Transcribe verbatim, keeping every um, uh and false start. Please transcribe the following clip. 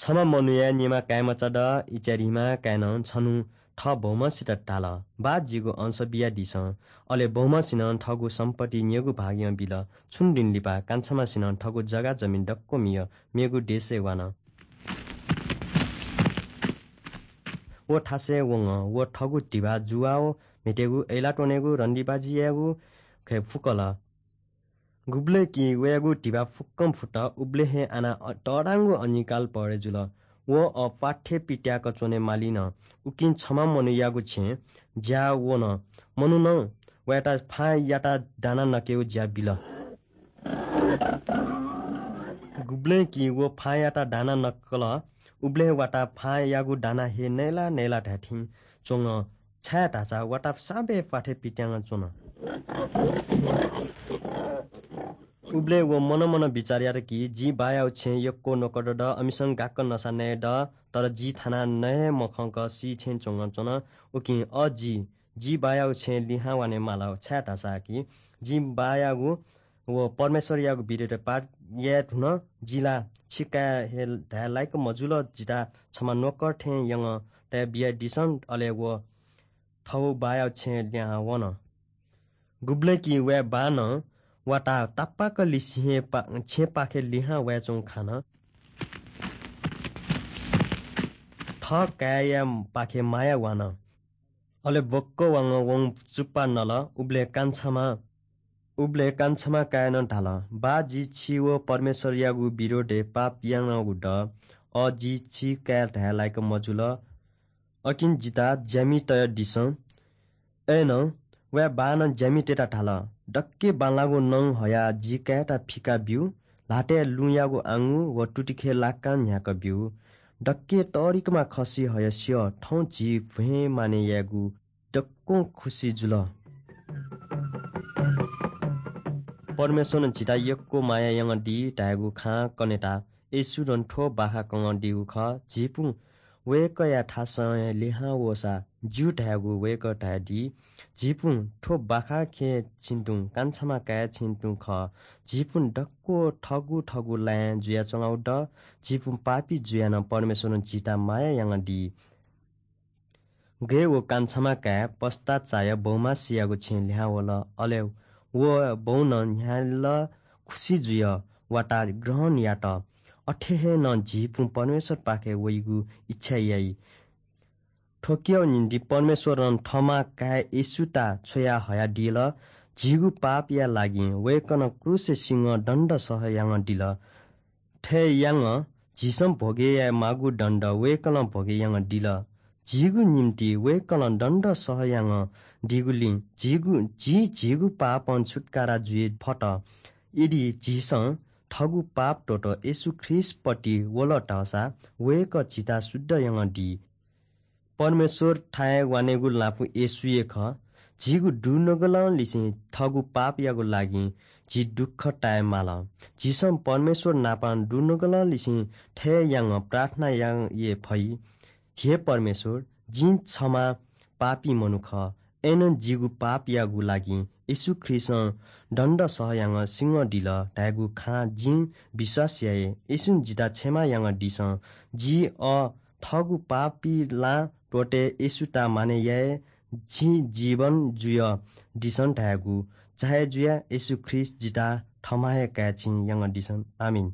छम्ह मनूया निम्ह काय्‌मचा द, इचारिम्ह काय्‌नं छन्हु थः बौम्हसित धाल, "बाः, जिगु अंश बियादिसँ।" अले बौम्हसिनं थःगु सम्पत्ति न्यगू भागय् बिल। छुं दिं लिपा कान्छाम्हसिनं थःगु जग्गा जमिन दक्व मियाः मेगु देशय् वान। व थासय् वंगः व थःगु धिबा जुवाः व म्हेतेगु, अय्‌लाः त्वनेगु, रन्दिबाजी यायेगु खँय् फुकल। गुबलय् कि वयागु धिबा फुक्कं फुत, उबलय् हे आना अ-, तःधंगु अनिकाल परे जुल। व अ, प्वाथय् पित्याक च्वने माली नं। उकिं छम्ह मनूयागु छेँय् ज्या वन। मनुखं वयात फाँय् याता दाना नकेगु ज्या बिल। गुबलय् कि व फाँय् याता दाना नकल, उबलय् वाता फाँय्‌यागु दाना हे नयला नयला धायेथें च्वंगः छाय्‌धाःसा वाता साबे प्वाथय् पित्यां च्वन। उबलय् व मनं मनं बिचाः यात कि, "जिं बाःयागु छेँय् यक्व नोकर दत, अमिसं गाक्क नसा नये दत, तर जि थाना नये मखंक सी थें च्वंगः च्वन। उकिं अ, जि, जि बाःयागु छेँय् लिहां वने माल, छाय्‌धाःसा कि जिं बाःयागु व परमेश्वरयागु विरुद्धय् पाप याये धुन। जि ला छि काय् हे धाये लाय्‌क मजुल, जितः छम्ह नोकर थें यंगः तये बियादिसँ।" अले व थःगु बाःयागु छेँय् लिहां वन। गुबलय् कि वया बाःनं वाता तापाक लिसें हे पा-, छेँपाखे लिहां वयाच्वंगु खन। थः काय्‌यापाखे माया वान। अले बक्क वांगः वं चुप्पा नल। उबलय् कान्छाम्ह, उबलय् कान्छाम्ह काय्‌नं धाल, "बाः, जि छि व परमेश्वरयागु विरोधय् पाप यानागु दु। अ, जि छि काय् धाये लाय्‌क मजुल। अकिं जितः ज्यामि तयादिसँ।" अय्‌नं वया बाःनं ज्यामितय्‌त धाल, "दक्के बांलाःगु नं हयाः जि काय्‌यात फिका ब्यु। ल्हातय् लुँयागु आंगु व तुतिखे लाक्कां न्ह्याकाब्यु। दक्के तःधिकःम्ह खसि हयाः स्यः, थौं झी भ्वय् मानय् यायेगु दक्वं खुसि जुल।" परमेश्वरं झीत यक्व माया यानादी धायेगु खँ कनेत येशूं थ्व बाखा कनादीगु खः। झीपिं वय्‌कःया थासं हे लिहां वःसा ज्यू धायेगु वय्‌कलं धयादी। झीपिं थ्व बाखा खँय् छिं तुं कान्छाम्ह काय् छिं तुं खः। झीपिं दक्व थःगु थःगु लँय् जुयाच्वनागु दु। झीपिं पापी जुयाः नं परमेश्वरं झीत माया यानादी। गय् व कान्छाम्ह काय् पस्ता चायाः बौम्हसियागु छेँय् लिहां वल। अले व बौनं न्ह्याल खुसि जुयाः वाता ग्रहण यात। अथे हे नं झीपिं परमेश्वरपाखे वइगु इच्छा याइ। थ्व कियागु निंतिं परमेश्वरं थःम्ह काय् येशूयात छ्वया हयादिल। झीगु पापया लागि वय्‌कलं क्रूसय् सिंगः दण्ड सह यानादिल। थथे यानाः झीसं भोगे याये माःगु दण्ड वय्‌कलं भोगे यानादिल। झीगु निंतिं वय्‌कलं दण्ड सह यानादीगुलिं झीगु, झी झीगु पापं छुत्कारा जुइ फत। यदि झीसं थःगु पाप त्वःताः येशू ख्रीष्टपति वल धाःसा वय्‌कः झीत शुद्ध यानादी। परमेश्वरथाय् वनेगु लँपु येशू हे खः। झीगु दुनुगलंनिसें थःगु पापयागु लागि झी दुःख ताये माल। झीसं परमेश्वर नाप दुनुगलंनिसें थथे यानाः प्रार्थना याये फइ, हे परमेश्वर, जिं छम्ह पापी मनू खः, अय्‌नं जिगु पापयागु लागि येशू ख्रीष्टं दण्ड सह यानाः सिंगः दिल धायेगु खँ जिं विश्वास याये। येशूं जितः क्षमा यानादिसँ। जि अ थःगु पापी लँय् त्वःते येशूयात मानय् याये। जिं जीवन जुयादिसँ धायेगु चाहे जुयाः येशू ख्रीष्ट जितः थःम्हं हे काय् छिं यानादिसँ। आमिन।